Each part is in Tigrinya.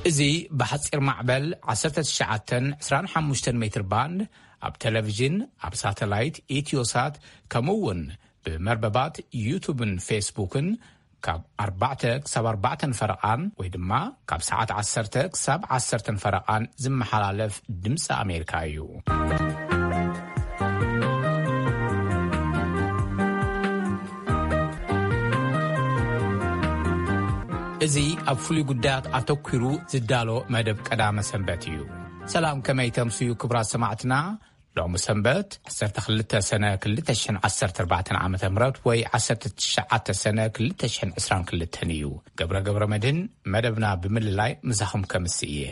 እዚ ብሓጺር ማዕበል ዓሰርተ ትሽዓተ ዕስራን ሓሙሽተን ሜትር ባንድ ኣብ ቴሌቪዥን፣ ኣብ ሳተላይት ኢትዮሳት፣ ከምኡ እውን ብመርበባት ዩቱብን ፌስቡክን ካብ ኣርባዕተ ክሳብ ኣርባዕተን ፈረቓን ወይ ድማ ካብ ሰዓት ዓሰርተ ክሳብ ዓሰርተን ፈረቓን ዝመሓላለፍ ድምፂ ኣሜሪካ እዩ። እዚ ኣብ ፍሉይ ጉዳያት ኣተኲሩ ዝዳሎ መደብ ቀዳመ ሰንበት እዩ። ሰላም፣ ከመይ ተምስዩ ክቡራት ሰማዕትና? ሎሚ ሰንበት ዓሰርተ ክልተ ሰነ ክልተ ሽሕን ዓሰርተ ኣርባዕተን ዓመተ ምህረት ወይ ዓሰርተ ትሽዓተ ሰነ ክልተ ሽሕን ዕስራን ክልተን እዩ። ገብረ ገብረ መድህን መደብና ብምልላይ ምሳኹም ከምስእ እየ።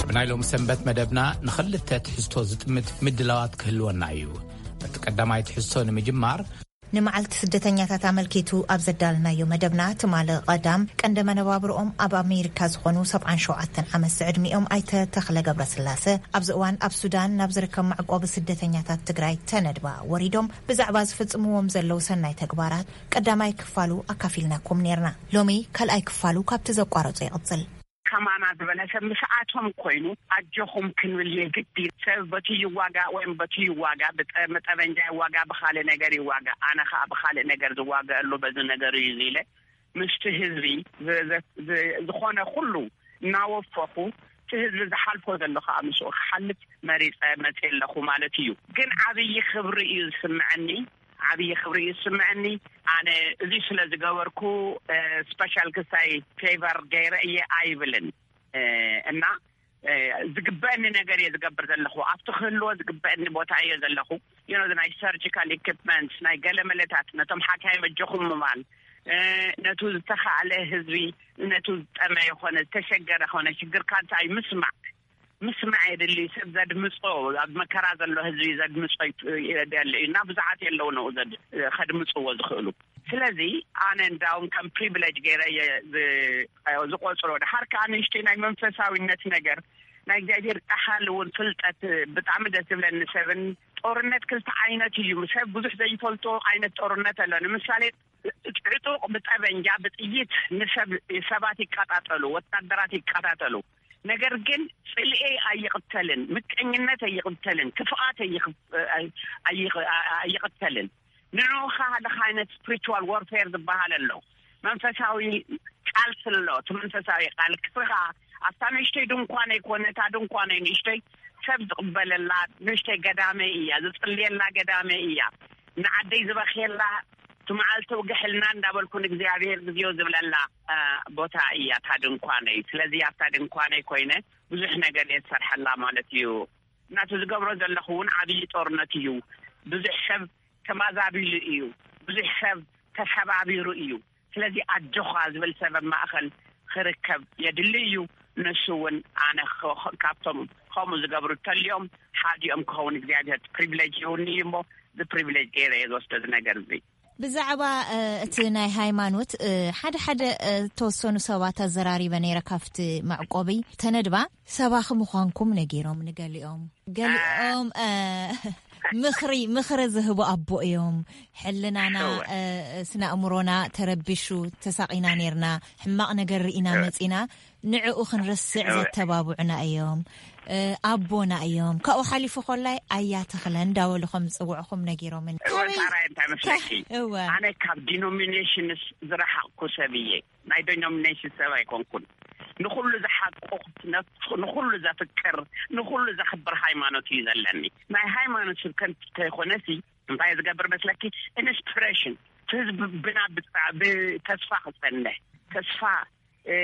ኣብ ናይ ሎሚ ሰንበት መደብና ንኽልተ ትሕዝቶ ዝጥምት ምድላዋት ክህልወና እዩ። በቲ ቀዳማይ ትሕዝቶ ንምጅማር፣ ንመዓልቲ ስደተኛታት ኣመልኪቱ ኣብ ዘዳለናዮ መደብና፣ ትማሊ ቀዳም ቀንዲ መነባብርኦም ኣብ ኣሜሪካ ዝኾኑ ሰብዓን ሸውዓተን ዓመት ዝዕድሚኦም ኣይተ ተኽለ ገብረስላሰ፣ ኣብዚ እዋን ኣብ ሱዳን ናብ ዝርከብ መዕቆቢ ስደተኛታት ትግራይ ተነድባ ወሪዶም ብዛዕባ ዝፍጽምዎም ዘለዉ ሰናይ ተግባራት ቀዳማይ ክፋሉ ኣካፊልናኩም ኔርና። ሎሚ ካልኣይ ክፋሉ ካብቲ ዘቋረጾ ይቕጽል። ከማና ዝበለ ሰብ ምስኣቶም ኮይኑ ኣጆኹም ክንብል የግድ እዩ። ሰብ በቲ ይዋጋእ ወይም በቲ ይዋጋእ፣ ብጠ-፣ ብጠበንጃ ይዋጋእ፣ ብኻልእ ነገር ይዋጋእ። ኣነ ኸኣ ብኻልእ ነገር ዝዋገኣሉ በዚ ነገር እዩ፣ እዚ ኢለ ምስቲ ህዝቢ ዝ-፣ ዝ-፣ ዝ-፣ ዝኾነ ኩሉ እናወፈኹ፣ እቲ ህዝቢ ዝሓልፎ ዘሎ ኸኣ ምስኡ ክሓልፍ መሪጸ መጽየ ኣለኹ ማለት እዩ። ግን ዓብዪ ክብሪ እዩ ዝስምዐኒ፣ ዓብዪ ክብሪ እዩ ዝስምዐኒ። ኣነ እዚ ስለ ዝገበርኩ፣ እ፣ ስፐሻል ክሳይ ፌቨር ገይረ እየ ኣይብልን። እ፣ እና፣ እ፣ ዝግበአኒ ነገር እየ ዝገብር ዘለኹ። ኣብቲ ክህልዎ ዝግበአኒ ቦታ እየ ዘለኹ። You know፣ ናይ ሰርጂካል ኢኩፕመንትስ፣ ናይ ገለመለታት፣ ነቶም ሓካይ መጆኹም ምባል፣ እ፣ ነቱ ዝተኻእለ ህዝቢ፣ ነቱ ዝጠመየ ኾነ ዝተሸገረ ኾነ ሽግርካ እንታይ ምስማዕ፣ ምስማዕ የድሊ። ሰብ ዘድምጾ፣ ኣብ መከራ ዘሎ ህዝቢ ዘድምጾ ይት-፣ የድሊ እዩ እና ብዙሓት የለውን ኣብኡ ዘድ-፣ ከድምጽዎ ዝኽእሉ። ስለዚ ኣነ እንዳውም ከም ፕሪቪሌጅ ገይረ እየ ዝ-፣ ዝቆጽሮ። ድሓር ከኣ ንእሽተይ ናይ መንፈሳዊነት ነገር፣ ናይ እግዚኣብሔር ቃል እውን ፍልጠት ብጣዕሚ ደስ ዝብለኒ። ሰብን ጦርነት ክልተ ዓይነት እዩ። ሰብ ብዙሕ ዘይፈልጦ ዓይነት ጦርነት ኣሎ። ንምሳሌ ዕጡቕ ብጠበንጃ፣ ብጥይት ንሰብ፣ ሰባት ይቀጣጠሉ፣ ወታደራት ይቀጣጠሉ። ነገር ግን ጽልኤ ኣይቕተልን፣ ምቀኝነት ኣይቕተልን፣ ክፍኣት ኣይኽ-፣ ኣይ-፣ ኣይቕ-፣ ኣይቕተልን። ንዕኡ ከኣ ሓደ ዓይነት ስፕሪቹዋል ዋርፌር ዝበሃል ኣሎ። መንፈሳዊ ቃልሲ ኣሎ። እቲ መንፈሳዊ ቃልሲ ከኣ ኣብታ ንእሽተይ ድንኳነይ ኮነ፣ እታ ድንኳነይ ንእሽተይ ሰብ ዝቕበለላ ንእሽተይ ገዳመይ እያ፣ ዝጽልየላ ገዳመይ እያ። ንዓደይ ዝበኽየላ፣ እቲ መዓልቲ ውግሕልና እንዳበልኩ ንእግዚኣብሔር ግዜኡ ዝብለላ፣ እ፣ ቦታ እያ እታ ድንኳነይ። ስለዚ ኣብታ ድንኳነይ ኮይነ ብዙሕ ነገር እየ ዝሰርሐላ ማለት እዩ። እናቱ ዝገብሮ ዘለኹ እውን ዓብዪ ጦርነት እዩ። ብዙሕ ሰብ ተማዛቢሉ እዩ። ብዙሕ ሰብ ተሰባቢሩ እዩ። ስለዚ ኣጆኻ ዝብል ሰብ ኣብ ማእኸል ክርከብ የድሊ እዩ። ንሱ እውን ኣነ ኸ-፣ ካብቶም ከምኡ ዝገብሩ ተልዮም ሓዲኦም ክኸውን እግዚኣብሔር ፕሪቪሌጅ ይሁን እዩ እሞ፣ እዚ ፕሪቪሌጅ ገይረ እየ ዝወስዶ እዚ ነገር እዚ። ብዛዕባ፣ እ፣ እቲ ናይ ሃይማኖት፣ እ፣ ሓደ ሓደ፣ እ፣ ተወሰኑ ሰባት ኣዘራሪበ ነይረ ካብቲ መዕቆቢ ተነድባ። ሰባኺ ምዃንኩም ነጊሮም ንገሊኦም። ገሊኦም፣ እ፣ ምኽሪ፣ ምኽሪ ዝህቡ ኣቦ እዮም። ሕልናና፣ እወ። እ፣ ስነ ኣእምሮና ተረቢሹ ተሳቒና ነይርና። ሕማቕ ነገር ርኢና እወ። መጺና። ንዕኡ ክንርስዕ እወ። ዘተባብዑና እዮም። እ፣ ኣቦና እዮም። ካብኡ ሓሊፉ ኮላይ ኣያ ተኽለ እንዳበሉ ከም ዝጽውዕኹም ነጊሮምኒ። እወ፣ ካበይ? ሳራይ፣ እንታይ መስለኪ? እወ። ኣነ ካብ ዲኖሚኔሽንስ ዝረሓቕኩ ሰብ እየ። ናይ ዲኖሚኔሽን ሰብ ኣይኮንኩን። ንኹሉ ዝሓቁ፣ ነፍ-፣ ንኹሉ ዘፍቅር፣ ንኹሉ ዘኽብር ሃይማኖት እዩ ዘለኒ። ናይ ሃይማኖት ስብከት እንተይኮነሲ፣ እንታይ ዝገብር መስለኪ? ኢንስፒሬሽን። ህዝቢ ብና ብጣ-፣ ብተስፋ ክጸንሕ፣ ተስፋ፣ እ፣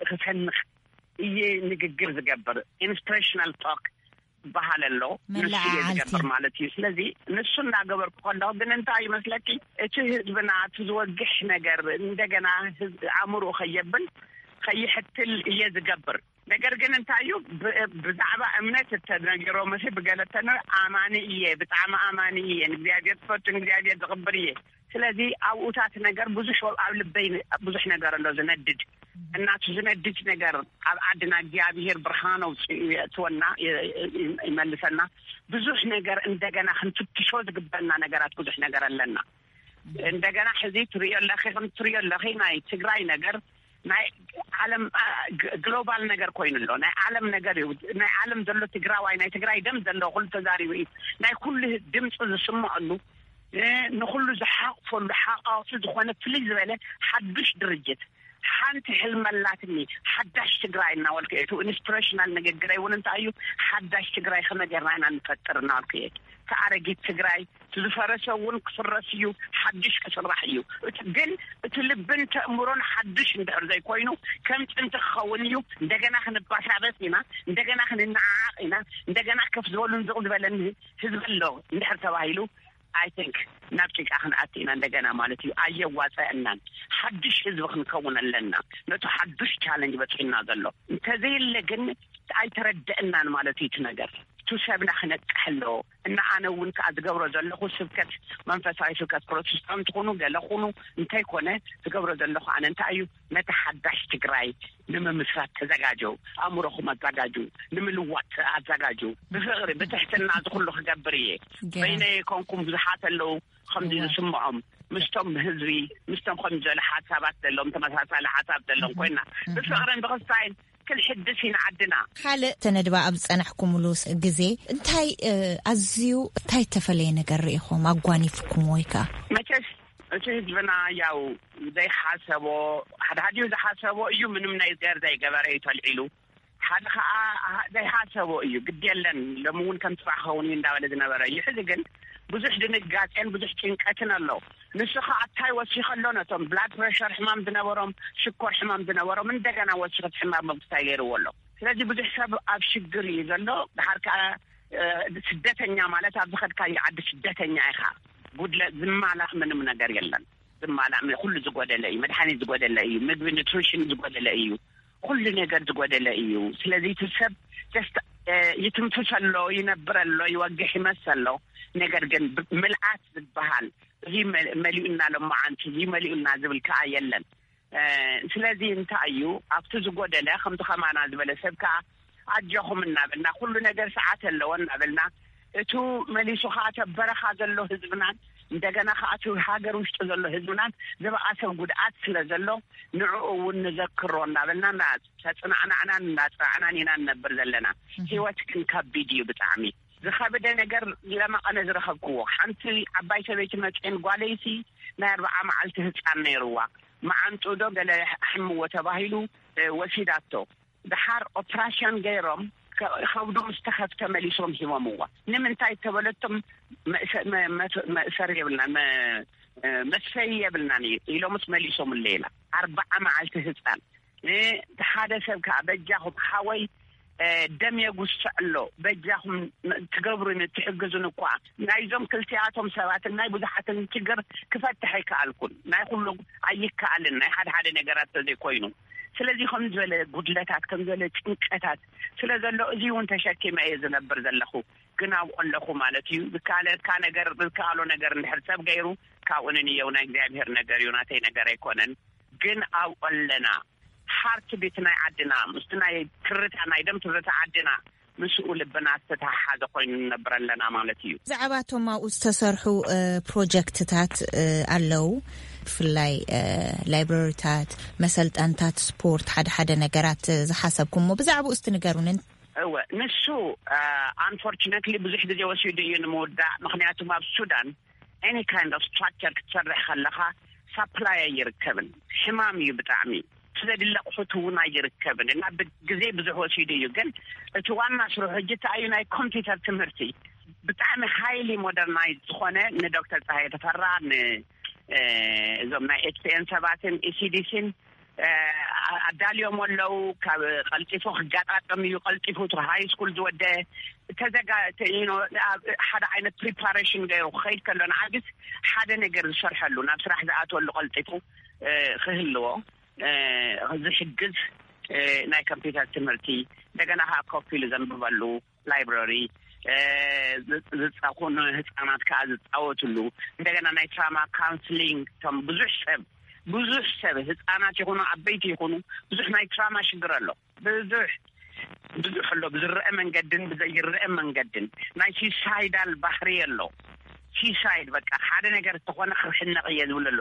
ክሰንቕ እየ ንግግር ዝገብር። ኢንስፒሬሽናል ቶክ ዝበሃል ኣሎ። ንሱ እየ መለዓዓልቲ። ዝገብር ማለት እዩ። ስለዚ ንሱ እናገበርኩ ከለኹ ግን እንታይ ይመስለኪ? እቲ ህዝብና እቲ ዝወግሕ ነገር እንደገና ህዝቢ ኣእምሮኡ ከየብል ከይሕትል እየ ዝገብር። ነገር ግን እንታይ እዩ? ብ-፣ ብዛዕባ እምነት እተነገሮምሲ ብገለ እተነ-፣ ኣማኒ እየ፣ ብጣዕሚ ኣማኒ እየ፣ ንእግዚኣብሔር ዝፈቱ፣ ንእግዚኣብሔር ዝቕብር እየ። ስለዚ ኣብኡታት ነገር ብዙሕ ኣብ ልበይ ብዙሕ ነገር ኣሎ ዝነድድ። እናቱ ዝነድድ ነገር ኣብ ዓድና እግዚኣብሔር ብርሃን ኣውፅኡ የእትወና፣ የ-፣ የ-፣ ይመልሰና። ብዙሕ ነገር እንደገና ክንፍትሾ ዝግበና ነገራት ብዙሕ ነገር ኣለና። እንደገና ሕዚ ትሪኦ ኣለኺ፣ ከም ትሪኦ ኣለኺ ናይ ትግራይ ነገር ናይ ዓለም፣ አ፣ ግ-፣ ግሎባል ነገር ኮይኑ ኣሎ። ናይ ዓለም ነገር እዩ። ናይ ዓለም ዘሎ ትግራዋይ፣ ናይ ትግራይ ደም ዘለዎ ኩሉ ተዛሪቡ እዩ። ናይ ኩሉ ድምፂ ዝስምዐሉ፣ እ፣ ንኩሉ ዝሓቕፈሉ ሓቋፊ ዝኾነ ፍልይ ዝበለ ሓዱሽ ድርጅት። ሓንቲ ሕልሚ ኣላትኒ፣ ሓዳሽ ትግራይ እናበልኩ እየ። እቲ ኢንስፒሬሽናል ንግግረይ እውን እንታይ እዩ፣ ሓዳሽ ትግራይ ከመይ ጌርና ኢና ንፈጥር እናበልኩ እየ። እቲ ኣረጊት ትግራይ፣ እቲ ዝፈረሰ እውን ክፍረስ እዩ፣ ሓድሽ ክስራሕ እዩ። እቲ ግን እቲ ልብን ተእምሮን ሓድሽ እንድሕር ዘይኮይኑ ከም ጥንቲ ክኸውን እዩ። እንደገና ክንባሳበስ ኢና፣ እንደገና ክንነዓዓቕ ኢና፣ እንደገና ከፍ ዝበሉን ዝቕ ዝበለን ህዝቢ ኣሎ እንድሕር ተባሂሉ፣ I think ናብ ጭቃ ክንኣቲ ኢና እንደገና ማለት እዩ። ኣየዋፀአናን። ሓድሽ ህዝቢ ክንከውን ኣለና። ነቲ ሓዱሽ ቻለንጅ በፂሕና ዘሎ እንተዘየለ ግን ኣይተረደእናን ማለት እዩ። እቲ ነገር እቲ ሰብና ክነቅሕ ኣለዎ። እና ኣነ እውን ከዓ ዝገብሮ ዘለኹ ስብከት፣ መንፈሳዊ ስብከት ፕሮቴስታንት ኩኑ ገለ ኩኑ እንተይኮነ ዝገብሮ ዘለኹ ኣነ እንታይ እዩ፣ ነቲ ሓዳሽ ትግራይ ንምምስራት ተዘጋጀው፣ ኣእምሮኹም ኣዘጋጁ፣ ንምልዋጥ ኣዘጋጁ። ብፍቕሪ ብትሕትና እዚ ኩሉ ክገብር እየ። ገይረ። በይነይ ኮንኩም ብዙሓት ኣለዉ ከምዚ እወ። ዝስምዖም ምስቶም ህዝቢ፣ ምስቶም ከምዚ ዝበለ ሓሳባት ዘለዎም፣ ተመሳሳሊ ሓሳብ ዘለዎም ኮይና ብፍቕርን ብክስታይን ክንሕድስ ኢና ዓድና። ካልእ ተነድባ ኣብ ዝጸናሕኩምሉ ስ-፣ ግዜ እንታይ፣ እ፣ ኣዝዩ እንታይ እተፈለየ ነገር ርኢኹም ኣጓኒፍኩም ወይ ከኣ? መቸስ እቲ ህዝብና ያው ዘይሓሰቦ፣ ሓደ ሓዲኡ ዝሓሰቦ እዩ፣ ምንም ነገር ዘይገበረ እዩ ተልዒሉ። ሓደ ኸኣ ዘይሓሰቦ እዩ፣ ግድ የለን፣ ሎሚ እውን ከም ጽባሕ ክኸውን እዩ እንዳበለ ዝነበረ እዩ። ሕዚ ግን ብዙሕ ድንጋጼን ብዙሕ ጭንቀትን ኣሎ። ንሱ ኸኣ እንታይ ወሲኸ ኣሎ? ነቶም ብላድ ፕሬሸር ሕማም ዝነበሮም፣ ሽኮር ሕማም ዝነበሮም እንደገና ወሲኸ እቲ ሕማም መንግስታይ ገይርዎ ኣሎ። ስለዚ ብዙሕ ሰብ ኣብ ሽግር እዩ ዘሎ። ድሓር ከኣ፣ እ፣ ስደተኛ ማለት ኣብ ዝኸድካዮ ዓዲ ስደተኛ ኢኻ። ጉድለት ዝማላእ ምንም ነገር የለን። ዝማላእ ም-፣ ኩሉ ዝጎደለ እዩ። መድሓኒት ዝጎደለ እዩ። ምግቢ ኑትሪሽን ዝጎደለ እዩ። ኩሉ ነገር ዝጎደለ እዩ። ስለዚ እቲ ሰብ ጀስት፣ እ፣ ይትንፍስ ኣሎ፣ ይነብር ኣሎ፣ ይወግሕ ይመስ ኣሎ። ነገር ግን ብ-፣ ምልኣት ዝበሃል እዚ መ-፣ መሊኡና ሎማዓንቲ፣ እዚ መሊኡና ዝብል ከኣ የለን። እ፣ ስለዚ እንታይ እዩ ኣብቲ ዝጎደለ፣ ከምዚ ከማና ዝበለ ሰብ ከኣ ኣጆኹም እናበልና፣ ኩሉ ነገር ሰዓት ኣለዎ እናበልና፣ እቱ መሊሱ ከኣ ተበረኻ ዘሎ ህዝብናን፣ እንደገና ከኣ እቱ ሃገር ውሽጢ ዘሎ ህዝብናን ዝበኣሰ ጉድኣት ስለ ዘሎ፣ ንዕኡ እውን ንዘክሮ እናበልና፣ እና ተጽናዕናዕናን እናጽናዕናን ኢና ንነብር ዘለና። እህ። ህይወት ግን ከቢድ እዩ ብጣዕሚ። ዝኸብደ ነገር ለመቐነ ዝረኸብክዎ። ሓንቲ ዓባይ ሰበይቲ መጽኤን ጓለይሲ ናይ ኣርብዓ መዓልቲ ህጻን ነይርዋ። መዓንጥኡ ዶ ገለ ኣሕምዎ ተባሂሉ፣ እ፣ ወሲዳቶ። ድሓር ኦፕራሽን ገይሮም ከ-፣ ከብዱ ምስ ተኸፍተ መሊሶም ሂቦምዋ። ንምንታይ ተበለቶም መእሰ-፣ መ-፣ መ-፣ መእሰር የብልናን፣ መ-፣ እ፣ መስፈይ የብልናን እዩ ኢሎምስ መሊሶምለይ ኢላ። ኣርብዓ መዓልቲ ህጻን። እ፣ ሓደ ሰብ ከኣ በጃኹም ሓወይ፣ እ፣ ደም የጉስዕ ኣሎ፣ በጃኹም ትገብሩን ትሕግዙን እኳ ናይዞም ክልቲኣቶም ሰባትን ናይ ብዙሓትን ችግር ክፈትሕ ኣይከኣልኩን። ናይ ኩሉ ኣይከኣልን፣ ናይ ሓደ ሓደ ነገራት ተዘይኮይኑ። ስለዚ ከም ዝበለ ጉድለታት፣ ከም ዝበለ ጭንቀታት ስለ ዘሎ፣ እዚ እውን ተሸኪመ እየ ዝነብር ዘለኹ። ግን ኣብኡ ኣለኹ ማለት እዩ። ዝከኣለካ ነገር፣ ዝከኣሎ ነገር እንድሕር ሰብ ገይሩ፣ ካብኡ ንንየው። ናይ እግዚኣብሔር ነገር እዩ፣ ናተይ ነገር ኣይኮነን። ግን ኣብኡ ኣለና። ሃርት ቢት ናይ ዓድና፣ ምስቲ ናይ ትርታ፣ ናይ ደም ትርታ ዓድና፣ ምስኡ ልብና ዝተተሓሓዘ ኮይኑ ንነብር ኣለና ማለት እዩ። ብዛዕባ እቶም ኣብኡ ዝተሰርሑ፣ እ፣ ፕሮጀክትታት፣ እ፣ ኣለዉ። ብፍላይ፣ እ፣ ላይብረሪታት፣ መሰልጠንታት ስፖርት፣ ሓደ ሓደ ነገራት፣ እ፣ ዝሓሰብኩሞ ብዛዕባኡ እስቲ ንገሩንን። እወ፣ ንሱ፣ እ፣ ኣንፎርቹነትሊ ብዙሕ ግዜ ወሲዱ እዩ ንምውዳእ። ምኽንያቱም ኣብ ሱዳን ኤኒ ካይንድ ኦፍ ስትራክቸር ክትሰርሕ ከለኻ ሳፕላይ ኣይርከብን። ሕማም እዩ ብጣዕሚ። እቲ ዘድሊ ኣቑሑት እውን ኣይርከብን እና ብግዜ ብዙሕ ወሲዱ እዩ። ግን እቲ ዋና ስርሑ ሕጂ እንታይ እዩ? ናይ ኮምፒውተር ትምህርቲ ብጣዕሚ ሃይሊ ሞደርናይዝ ዝኾነ ንዶክተር ፀሃየ ተፈራ፣ ን-፣ እ፣ እዞም ናይ ኤች ፒ ኤን ሰባትን ኢ ሲ ዲ ሲን፣ እ፣ ኣ-፣ ኣዳልዮም ኣለዉ። ካብ ቀልጢፉ ክጋጣጠም እዩ፣ ቀልጢፉ እቲ ሃይ ስኩል ዝወደ ተዘጋ-፣ ተ-፣ you know፣ ኣብ ሓደ ዓይነት ፕሪፓሬሽን ገይሩ ክኸይድ ከሎ ንዓግስ ሓደ ነገር ዝሰርሐሉ፣ ናብ ስራሕ ዝኣትወሉ ቀልጢፉ፣ እ፣ ክህልዎ፣ እ፣ ዝሕግዝ፣ እ፣ ናይ ኮምፒውተር ትምህርቲ፣ እንደገና ከዓ ኮፍ ኢሉ ዘንብበሉ ላይብረሪ፣ እ፣ ዝ-፣ ዝፃኹኑ ህፃናት ከዓ ዝፃወትሉ፣ እንደገና ናይ ትራማ ካውንስሊንግ፣ እቶም ብዙሕ ሰብ፣ ብዙሕ ሰብ፣ ህፃናት ይኹኑ ዓበይቲ ይኹኑ፣ ብዙሕ ናይ ትራማ ሽግር ኣሎ። ብዙሕ፣ ብዙሕ ኣሎ፣ ብዝረአ መንገድን ብዘይረአ መንገድን ናይ ሱሳይዳል ባህሪ ኣሎ። ሲሳይድ በቃ ሓደ ነገር ዝተኾነ ክሕነቕ እየ ዝብል ኣሎ።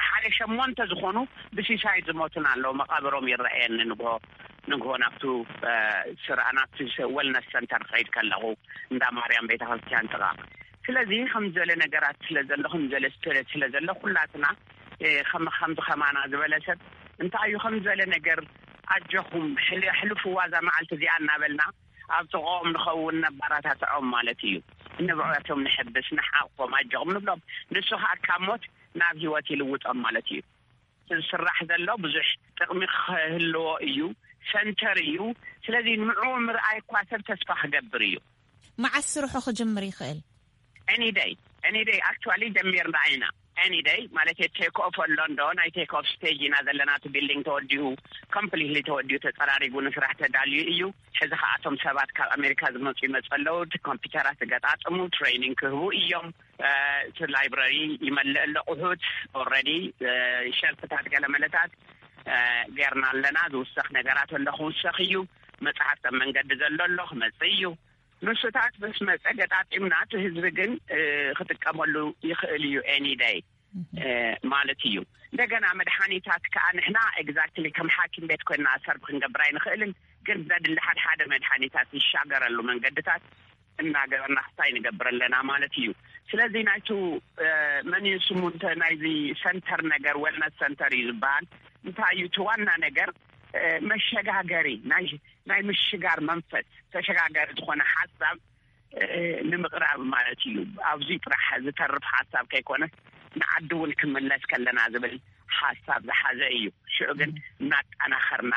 ሓደ ሸሞንተ ዝኾኑ ብሲሳይድ ዝሞቱን ኣለዉ። መቓብሮም ይረኣየኒ ንግሆ ንግሆ ናብቱ ስራ ናብቲ ወልነስ ሰንተር ክኸይድ ከለኹ እንዳ ማርያም ቤተክርስትያን ጥቓ። ስለዚ ከም ዝበለ ነገራት ስለ ዘሎ ከም ዝበለ ስፒሪት ስለ ዘሎ ኩላትና ከም ከምዚ ከማና ዝበለ ሰብ እንታይ እዩ ከም ዝበለ ነገር ኣጆኹም ሕልፍዋ እዛ መዓልቲ እዚኣ እናበልና ኣብ ጥቕኦም ንኸውን ነባራታትዖም ማለት እዩ። ንብዕቶም ንሕብስ ንሓቆም ኣጆኹም ንብሎም። ንሱ ከዓ ካብ ሞት ናብ ህይወት ይልውጦም ማለት እዩ። ዝስራሕ ዘሎ ብዙሕ ጥቕሚ ክህልዎ እዩ። ሰንተር እዩ። ስለዚ ንዕኡ ምርኣይ እኳ ሰብ ተስፋ ክገብር እዩ። መዓስ ስርሑ ክጅምር ይኽእል? Any day, any day actually ጀሚርና ኢና። Any day ማለት ቴክ ኦፍ ኣሎ እንዶ ናይ ቴክ ኦፍ ስቴጅ ኢና ዘለና። እቲ ቢልዲንግ ተወዲኡ፣ ኮምፕሊትሊ ተወዲኡ ተፀራሪጉ ንስራሕ ተዳልዩ እዩ። ሕዚ ከኣቶም ሰባት ካብ ኣሜሪካ ዝመፁ ይመፁ ኣለዉ። እቲ ኮምፒውተራት ዝገጣጥሙ ትሬኒንግ ክህቡ እዮም። እቲ ላይብረሪ ይመልእ ኣሎ ቁሑት ኦረዲ ሸልፍታት ገለመለታት ገርና ኣለና። ዝውሰኽ ነገራት ኣሎ ክውሰኽ እዩ። መፅሓፍቲ ኣብ መንገዲ ዘሎ ኣሎ ክመፅእ እዩ። ንሱታት ምስ መፀ ገጣጢምና እቲ ህዝቢ ግን ክጥቀመሉ ይኽእል እዩ ኤኒ ደይ ማለት እዩ። እንደገና መድሓኒታት ከዓ ንሕና ኤግዛክትሊ ከም ሓኪም ቤት ኮይና ሰርብ ክንገብር ኣይንኽእልን። ግን ዘድሊ ሓደ ሓደ መድሓኒታት ዝሻገረሉ መንገድታት እናገበርና ክስታይ ንገብር ኣለና ማለት እዩ። ስለዚ ናይቱ መን እዩ ስሙ እንተ ናይዚ ሰንተር ነገር ወልነት ሰንተር እዩ ዝበሃል። እንታይ እዩ እቲ ዋና ነገር? መሸጋገሪ ናይ ናይ ምሽጋር መንፈስ ተሸጋጋሪ ዝኾነ ሓሳብ ንምቕራብ ማለት እዩ። ኣብዚ ጥራሕ ዝተርፍ ሓሳብ ከይኮነ ንዓዲ እውን ክምለስ ከለና ዝብል ሓሳብ ዝሓዘ እዩ። ሽዑ ግን እናጠናኸርና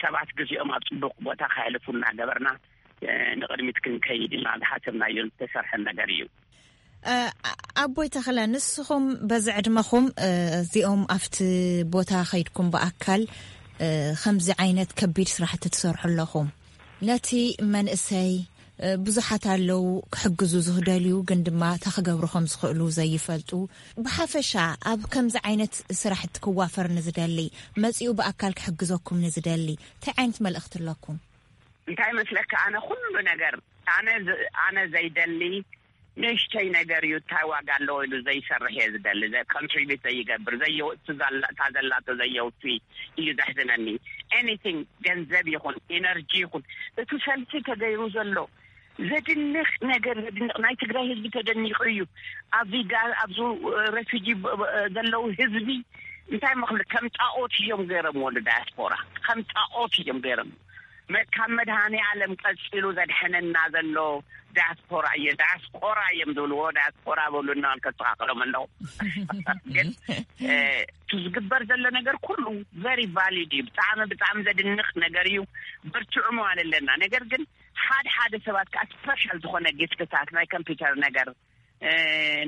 ሰባት ግዜኦም ኣብ ፅቡቕ ቦታ ከሕልፉ እናገበርና ንቕድሚት ክንከይድ ኢና ዝሓሰብናዮ ዝተሰርሐ ነገር እዩ። ኣቦይ ተኽለ፣ ንስኹም በዚ ዕድመኹም እዚኦም ኣብቲ ቦታ ከይድኩም ብኣካል ከምዚ ዓይነት ከቢድ ስራሕቲ ትሰርሑ ኣለኹም። ነቲ መንእሰይ ብዙሓት ኣለዉ ክሕግዙ ዝደልዩ፣ ግን ድማ እንታይ ክገብሩ ከም ዝኽእሉ ዘይፈልጡ። ብሓፈሻ ኣብ ከምዚ ዓይነት ስራሕቲ ክዋፈር ንዝደሊ፣ መጺኡ ብኣካል ክሕግዘኩም ንዝደሊ እንታይ ዓይነት መልእኽቲ ኣለኩም? እንታይ መስለካ፣ ኣነ ኩሉ ነገር ኣነ ኣነ ዘይደሊ ንእሽተይ ነገር እዩ። እንታይ ዋጋ ኣለዎ ኢሉ ዘይሰርሕ እየ ዝደሊ። ኮንትሪቢት ዘይገብር፣ እታ ዘላቶ ዘየውፊ እዩ ዘሕዝነኒ። ኤኒቲንግ፣ ገንዘብ ይኹን ኤነርጂ ይኹን፣ እቲ ሰልፊ ተገይሩ ዘሎ ዘድንቕ ነገር፣ ዘድንቕ፣ ናይ ትግራይ ህዝቢ ተደኒቑ እዩ። ኣብዚ ኣብዚ ሬፊጂ ዘለዉ ህዝቢ እንታይ መኽሉ ከም ጣኦት እዮም ገይሮምዎ ንዳያስፖራ፣ ከም ጣኦት እዮም ገይሮም። ካብ መድሃኒ ዓለም ቀፂሉ ዘድሐነና ዘሎ ዳያስፖራ እየ። ዳያስቆራ እዮም ዝብልዎ። ዳያስፖራ በሉ እናበልከ ተስተኻኸሎም ኣለኹ። ግን እቲ ዝግበር ዘሎ ነገር ኩሉ ቨሪ ቫሊድ እዩ። ብጣዕሚ ብጣዕሚ ዘድንቕ ነገር እዩ። በርትዑ መዋል ኣለና። ነገር ግን ሓደ ሓደ ሰባት ከዓ ስፐሻል ዝኾነ ጊፍትታት ናይ ኮምፒውተር ነገር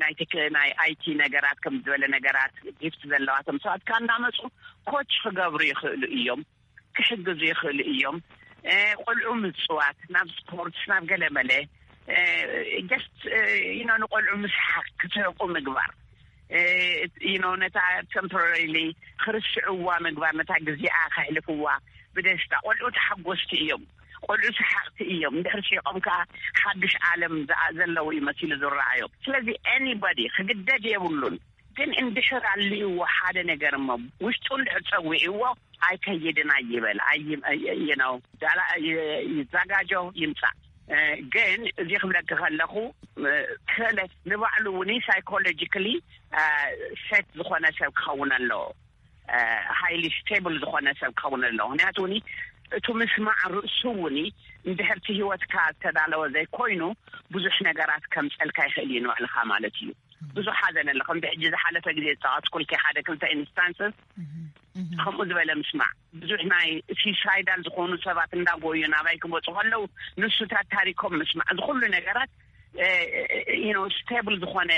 ናይ ቴክ ናይ ኣይቲ ነገራት ከም ዝበለ ነገራት ጊፍት ዘለዋቶም ሰባት ከዓ እንዳመፁ ኮች ክገብሩ ይኽእሉ እዮም። ክሕግዙ ይኽእሉ እዮም። ቆልዑ ምፅዋት ናብ ስፖርትስ ናብ ገለመለ ጀስት ዩኖ ንቆልዑ ምስሓቅ ክስሕቁ ምግባር ዩኖ ነታ ቴምፖራሪሊ ክርስዕዋ ምግባር ነታ ግዜኣ ከሕልፍዋ ብደስታ። ቆልዑ ተሓጎስቲ እዮም። ቆልዑ ሰሓቅቲ እዮም። እንድሕር ሲቆም ከዓ ሓዱሽ ዓለም ዘለዉ ይመሲሉ ዝረኣዮም። ስለዚ ኤኒባዲ ክግደድ የብሉን። ግን እንድሕር ኣልይዎ ሓደ ነገር እሞ ውሽጡ እንድሕር ፀዊዕዎ ኣይከይድን ኣይበል። ይነው ይዛጋጆ ይምፃእ። ግን እዚ ክብለኪ ከለኹ ክእለት ንባዕሉ እውን ሳይኮሎጂካሊ ሴት ዝኾነ ሰብ ክኸውን ኣለዎ። ሃይሊ ስቴብል ዝኾነ ሰብ ክኸውን ኣለዎ። ምክንያቱ እውን እቱ ምስማዕ ርእሱ እውን እንድሕርቲ ህይወትካ ዝተዳለወ ዘይኮይኑ ብዙሕ ነገራት ከምፀልካ ይኽእል እዩ ንባዕልኻ ማለት እዩ። ብዙሕ ሓዘን ኣሎ። ከምዚ ሕጂ ዝሓለፈ ግዜ ዝፃወትኩልኪ ሓደ ክልተ ኢንስታንስስ ከምኡ ዝበለ ምስማዕ ብዙሕ ናይ ሲሳይዳል ዝኾኑ ሰባት እንዳጎዩ ናባይ ክመፁ ከለዉ ንሱታት ታሪኮም ምስማዕ እዚ ኩሉ ነገራት ዩኖ ስቴብል ዝኾነ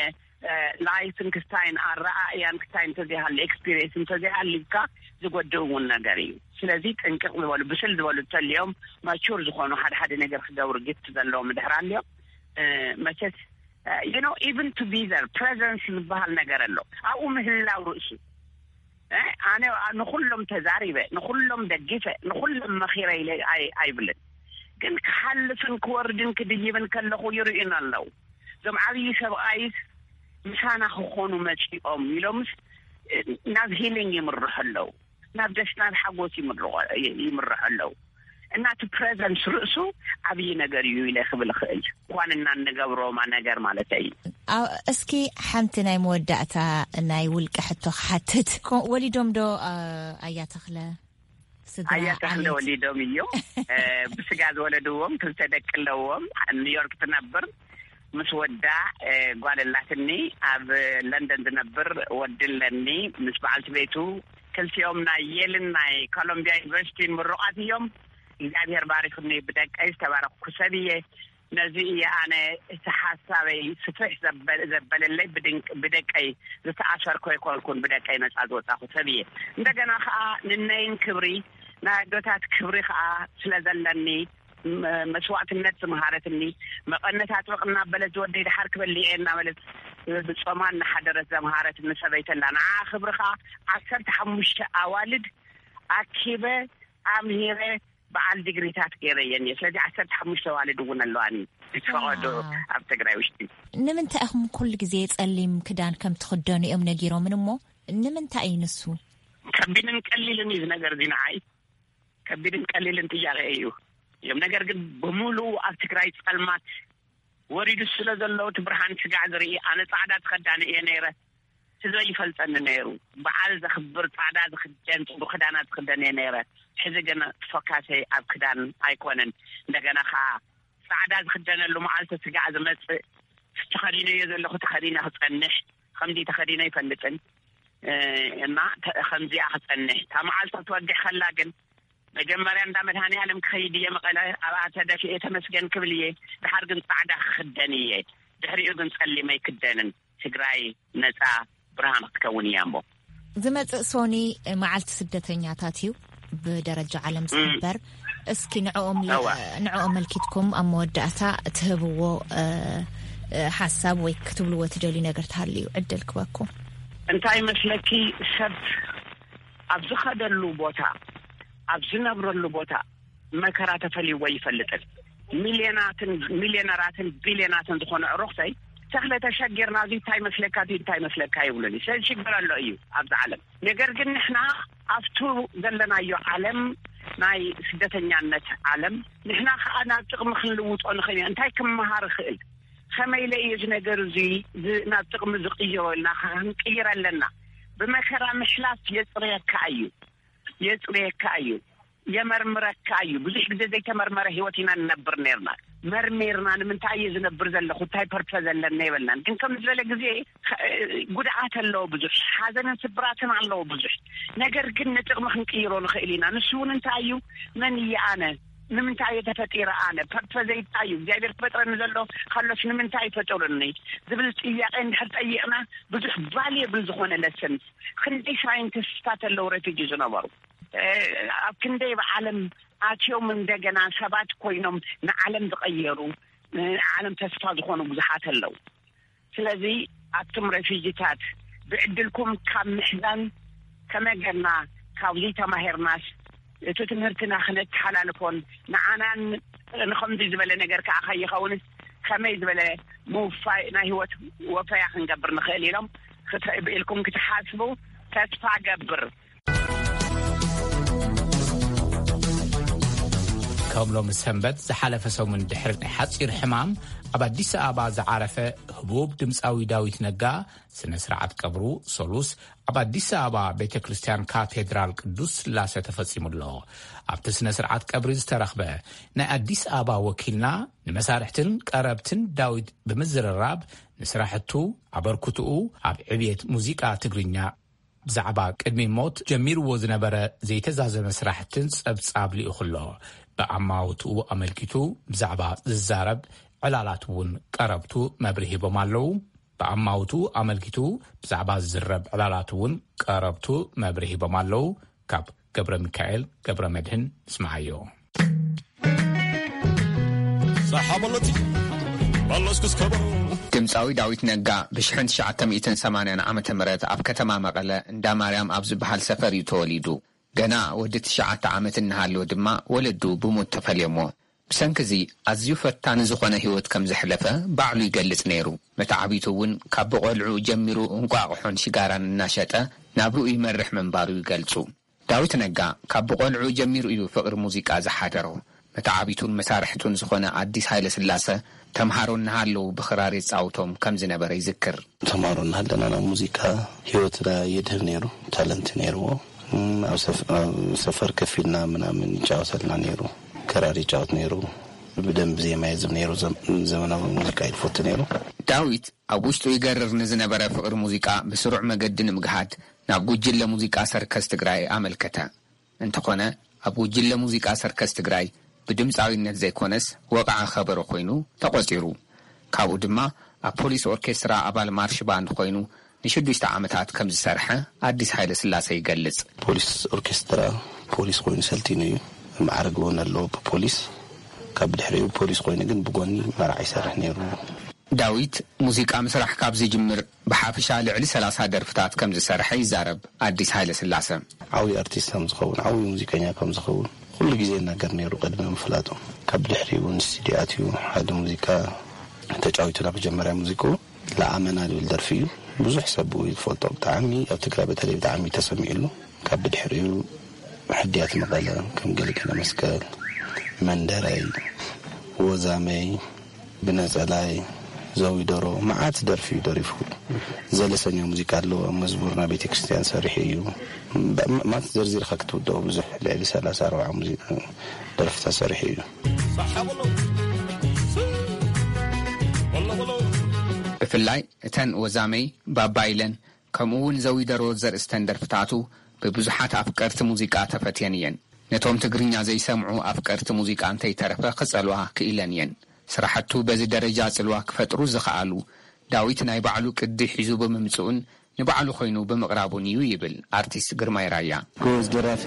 ላይፍን ክስታይን ኣረኣእያን ክስታይን እንተዘይሃሉ ኤክስፒሪየንስ እንተዘይሃልካ ዝጎድእ እውን ነገር እዩ። ስለዚ ጥንቅቕ ዝበሉ ብስል ዝበሉ ተልዮም ማቹር ዝኾኑ ሓደ ሓደ ነገር ክገብሩ ግፍት ዘለዎም ድሕር ኣልዮም መቸስ you know even to be there presence ዝበሃል ነገር ኣሎ። ኣብኡ ምህላው ርእሱ ኣነ ንኩሎም ተዛሪበ ንኩሎም ደጊፈ ንኩሎም መኺረ ኢለ ኣይብልን። ግን ክሓልፍን ክወርድን ክድይብን ከለኹ ይርእዩን ኣለዉ። እዞም ዓብዪ ሰብኣይስ ምሳና ክኾኑ መፂኦም ኢሎምስ ናብ ሂሊንግ ይምርሑ ኣለዉ። ናብ ደስ ናብ ሓጎስ ይምርሑ ኣለዉ። እና እቲ ፕረዘንስ ርእሱ ዓብዪ ነገር እዩ ኢለ ክብል እኽእል። እኳን እና እንገብሮማ ነገር ማለት እዩ። እስኪ ሓንቲ ናይ መወዳእታ ናይ ውልቀ ሕቶ ክሓትት። ወሊዶም ዶ? ኣያ ተኽለ ስድራ ኣያ ተኽለ ወሊዶም እዮም። ብስጋ ዝወለድዎም ክልተ ደቂ ኣለዎም። ኒውዮርክ ትነብር ምስ ወዳ ጓል ኣላትኒ። ኣብ ለንደን ዝነብር ወዲ ኣለኒ ምስ በዓልቲ ቤቱ። ክልቲኦም ናይ የልን ናይ ኮሎምቢያ ዩኒቨርሲቲን ምሩቓት እዮም። እግዚኣብሔር ባሪኽኒ ብደቀይ ዝተባረኽኩ ሰብ እየ። ነዚ እየ ኣነ እቲ ሓሳበይ ስፍሕ ዘበለለይ። ብደቀይ ዝተኣሰርኩ ኣይኮንኩን፣ ብደቀይ ነፃ ዝወፃኹ ሰብ እየ። እንደገና ከዓ ንነይን ክብሪ ናይ ኣዶታት ክብሪ ከዓ ስለ ዘለኒ መስዋዕትነት ዝመሃረትኒ፣ መቐነት ኣጥብቕ እናበለት ዝወደይ ድሓር ክበልዕ እየ እናበለት ብፆማ እናሓደረት ዘምሃረትኒ ሰበይቲ ኣላ። ንዓ ክብሪ ከዓ ዓሰርተ ሓሙሽተ ኣዋልድ ኣኪበ ኣምሂረ በዓል ዲግሪታት ገይረየን እየ። ስለዚ ዓሰርተ ሓሙሽተ ኣዋልድ እውን ኣለዋኒ ዝፈቐዶ ኣብ ትግራይ ውሽጢ። ንምንታይ ኢኹም ኩሉ ግዜ ጸሊም ክዳን ከም ትኽደኑ እዮም ነጊሮምን እሞ ንምንታይ እዩ ንሱ? ከቢድን ቀሊልን እዩ ነገር እዚ ንዓይ። ከቢድን ቀሊልን ጥያቄ እዩ እዮም። ነገር ግን ብምሉኡ ኣብ ትግራይ ጸልማት ወሪዱ ስለ ዘሎ እቲ ብርሃን ስጋዕ ዝርኢ ኣነ ጻዕዳ ትኸዳኒ እየ ነይረ። ህዝበይ ይፈልጠኒ ነይሩ። በዓል ዘኽብር ጻዕዳ ዝኽደን ጽቡቕ ክዳና ዝኽደን እየ ነይረ። ሕዚ ግን ፎካሰይ ኣብ ክዳን ኣይኮነን። እንደገና ኸዓ ጻዕዳ ዝኽደነሉ መዓልቲ ስጋዕ ዝመጽእ ተኸዲነዮ ዘለኹ ተኸዲነ ክጸንሕ ከምዚ ተኸዲነ ይፈልጥን እና ከምዚኣ ክጸንሕ እታ መዓልቲ ክትወድሕ ከላ ግን መጀመርያ እንዳ መድሃኔ ዓለም ክኸይድ እየ መቐለ ኣብኣ ተደፊኤ ተመስገን ክብል እየ። ድሓር ግን ጻዕዳ ክኽደን እየ። ድሕሪኡ ግን ጸሊም ኣይክደንን። ትግራይ ነጻ ብርሃን ክትከውን እያ እሞ። ዝመጽእ ሶኒ መዓልቲ ስደተኛታት እዩ ብደረጃ ዓለም ዝኽበር። እስኪ ንዕኦም ንዕኦም መልኪትኩም ኣብ መወዳእታ ትህብዎ ሓሳብ ወይ ክትብልዎ ትደልዩ ነገር ተሃልዩ ዕድል ክበኩም። እንታይ መስለኪ ሰብ ኣብ ዝኸደሉ ቦታ ኣብ ዝነብረሉ ቦታ መከራ ተፈልይዎ ይፈልጥን ሚልዮናትን ሚልዮነራትን ቢልዮናትን ዝኾነ ዕሩኽተይ ተኽለ ተሸጊርና እዚ እንታይ መስለካ እዚ እንታይ መስለካ ይብሉኒ። ስለዚ ሽግር ኣሎ እዩ ኣብዚ ዓለም። ነገር ግን ንሕና ኣብቱ ዘለናዮ ዓለም ናይ ስደተኛነት ዓለም ንሕና ከዓ ናብ ጥቕሚ ክንልውጦ ንኽእል ኢና። እንታይ ክመሃር ይኽእል? ከመይ ኢለ እዩ እዚ ነገር እዚ ናብ ጥቕሚ ዝቕይሮ ኢልና ክንቅይር ኣለና። ብመከራ ምሕላፍ የፅርየካ እዩ። የፅርየካ እዩ። የመርምረካ እዩ። ብዙሕ ግዜ ዘይተመርመረ ህይወት ኢና ንነብር ነርና። መርሚርና ንምንታይ እየ ዝነብር ዘለኹ እንታይ ፐርፐዝ ኣለና የበልናን። ግን ከም ዝበለ ግዜ ጉድኣት ኣለዎ ብዙሕ፣ ሓዘንን ስብራትን ኣለዎ ብዙሕ። ነገር ግን ንጥቕሚ ክንቅይሮ ንኽእል ኢና። ንሱ እውን እንታይ እዩ? መን እየ ኣነ? ንምንታይ እየ ተፈጢረ ኣነ? ፐርፐዘይ እንታይ እዩ? እግዚኣብሔር ክፈጥረኒ ዘሎ ከሎስ ንምንታይ ፈጠሩኒ ዝብል ጥያቄ እንድሕር ጠይቕና ብዙሕ ቫልየብል ዝኾነ ለሰንስ ክንደይ ሳይንቲስትታት ኣለዉ ረፊጂ ዝነበሩ ኣብ ክንደይ ብዓለም ኣትዮም እንደገና ሰባት ኮይኖም ንዓለም ዝቐየሩ ንዓለም ተስፋ ዝኾኑ ብዙሓት ኣለዉ። ስለዚ ኣቱም ረፊጂታት ብዕድልኩም ካብ ምሕዛን ከመይ ጌርና ካብዚ ተማሂርናስ እቲ ትምህርትና ክነተሓላልፎን ንዓናን ንኸምዚ ዝበለ ነገር ከዓ ከይኸውንስ ከመይ ዝበለ ምውፋይ ናይ ህይወት ወፈያ ክንገብር ንኽእል ኢሎም ክትብኢልኩም ክትሓስቡ ተስፋ ገብር። ከም ሎሚ ሰንበት ዝሓለፈ ሰሙን ድሕሪ ናይ ሓፂር ሕማም ኣብ ኣዲስ ኣበባ ዝዓረፈ ህቡብ ድምፃዊ ዳዊት ነጋ ስነ ስርዓት ቀብሩ ሰሉስ ኣብ ኣዲስ ኣበባ ቤተ ክርስቲያን ካቴድራል ቅዱስ ስላሴ ተፈፂሙ ኣሎ። ኣብቲ ስነ ስርዓት ቀብሪ ዝተረኽበ ናይ ኣዲስ ኣበባ ወኪልና ንመሳርሕትን ቀረብትን ዳዊት ብምዝርራብ ንስራሕቱ ኣበርክትኡ ኣብ ዕብየት ሙዚቃ ትግርኛ ብዛዕባ ቅድሚ ሞት ጀሚርዎ ዝነበረ ዘይተዛዘመ ስራሕትን ጸብጻብ ልኢኹ ኣሎ። ብኣማውትኡ ኣመልኪቱ ብዛዕባ ዝዛረብ ዕላላት እውን ቀረብቱ መብርሂ ሂቦም ኣለዉ። ብኣማውትኡ ኣመልኪቱ ብዛዕባ ዝዝረብ ዕላላት እውን ቀረብቱ መብርሂ ሂቦም ኣለዉ። ካብ ገብረ ሚካኤል ገብረ መድህን ንስምዓዮ። ሳሓበሎቲ ባሎስኩስ ከበሮ ድምፃዊ ዳዊት ነጋ ብ ትሽዓተ ሚእትን ሰማንያን ዓመተ ምህረት ኣብ ከተማ መቐለ እንዳ ማርያም ኣብ ዝበሃል ሰፈር እዩ ተወሊዱ። ገና ወዲ ትሽዓተ ዓመት እናሃለወ ድማ ወለዱ ብሞት ተፈልዮሞ። ብሰንኪ እዚ ኣዝዩ ፈታኒ ዝኾነ ህይወት ከም ዘሕለፈ ባዕሉ ይገልጽ ነይሩ። መተዓቢቱ እውን ካብ ብቖልዕኡ ጀሚሩ እንቋቑሖን ሽጋራን እናሸጠ ናብርኡ ይመርሕ ምንባሩ ይገልጹ። ዳዊት ነጋ ካብ ብቖልዕኡ ጀሚሩ እዩ ፍቕሪ ሙዚቃ ዝሓደሮ። መተዓቢቱን መሳርሕቱን ዝኾነ ኣዲስ ሃይለስላሰ ተምሃሮ እናሃለዉ ብኽራር የጻውቶም ከም ዝነበረ ይዝክር። ተምሃሮ እናሃለና ናብ ሙዚቃ ህይወትና የድህብ ነይሩ። ታለንት ነይርዎ። እም፣ ኣብ ሰፍ-፣ ኣብ ሰፈር ከፊልና ምናምን ይጫወተልና ነይሩ። ክራር ይጫወት ነይሩ። ብደንብ ዜማ የዝም ነይሩ። ዘም-፣ ዘመናዊ ሙዚቃ እዩ ዝፈቱ ነይሩ። ዳዊት ኣብ ውሽጡ ይገርር ንዝነበረ ፍቕሪ ሙዚቃ ብስሩዕ መገዲ ንምግሃድ ናብ ጉጅለ ሙዚቃ ሰርከስ ትግራይ ኣመልከተ። እንተኾነ፣ ኣብ ጉጅለ ሙዚቃ ሰርከስ ትግራይ ብድምፃዊነት ዘይኮነስ ወቕዓ ከበሮ ኮይኑ ተቖጺሩ። ካብኡ ድማ ኣብ ፖሊስ ኦርኬስትራ ኣባል ማርሽ ባንድ ኮይኑ ንሽዱሽተ ዓመታት ከም ዝሰርሐ ኣዲስ ሃይለ ስላሰ ይገልጽ። ፖሊስ ኦርኬስትራ ፖሊስ ኮይኑ ሰልጢኑ እዩ። ማዕረግ እውን ኣለዎ ብፖሊስ። ካብ ድሕሪኡ ፖሊስ ኮይኑ ግን ብጎኒ መርዓ ይሰርሕ ነይሩ። ዳዊት ሙዚቃ ምስራሕ ካብ ዝጅምር ብሓፈሻ ልዕሊ ሰላሳ ደርፍታት ከም ዝሰርሐ ይዛረብ ኣዲስ ሃይለ ስላሰ። ዓብዪ ኣርቲስት ከም ዝኸውን፣ ዓብዪ ሙዚቀኛ ከም ዝኸውን ኩሉ ግዜ ይናገር ነይሩ ቅድሚ ምፍላጡ። ካብ ድሕሪኡ እውን ስቱዲዮ ኣትዩ ሓደ ሙዚቃ ተጫዊቱ። ናብ መጀመርያ ሙዚቃኡ ለኣመና ዝብል ደርፊ እዩ። ብዙሕ ሰብ ብኡ እዩ ዝፈልጦ። ብጣዕሚ ኣብ ትግራይ በተለይ ብጣዕሚ ተሰሚዕሉ። ካብ ብድሕሪኡ ሕድያት መቐለ፣ ከም ገለገለ መስቀል፣ መንደረይ፣ ወዛመይ፣ ብነጸላይ፣ ዘዊደሮ፣ መዓት ደርፊ እዩ ደሪፉ። ዘለሰኛ ሙዚቃ ኣለዎ። ኣብ መዝሙር ናብ ቤተ ክርስቲያን ሰሪሑ እዩ። ብ-፣ ብ-፣ ማለት ዘርዚርካ ክትውድኦ ብዙሕ፣ ልዕሊ ሰላሳ ኣርባዓ ሙዚቃ ደርፍታት ሰሪሑ እዩ። ብፍላይ እተን ወዛመይ፣ ባባ ኢለን፣ ከምኡ እውን ዘዊደሮ ዘርእስተን ደርፍታቱ ብብዙሓት ኣፍቀርቲ ሙዚቃ ተፈትየን እየን። ነቶም ትግርኛ ዘይሰምዑ ኣፍቀርቲ ሙዚቃ እንተይተረፈ ክጸልዋ ክኢለን እየን። ስራሕቱ በዚ ደረጃ ጽልዋ ክፈጥሩ ዝኸኣሉ ዳዊት ናይ ባዕሉ ቅዲ ሒዙ ብምምጽኡን ንባዕሉ ኮይኑ ብምቕራቡን እዩ ይብል ኣርቲስት ግርማይ ራያ። ጎበዝ ደራፊ፣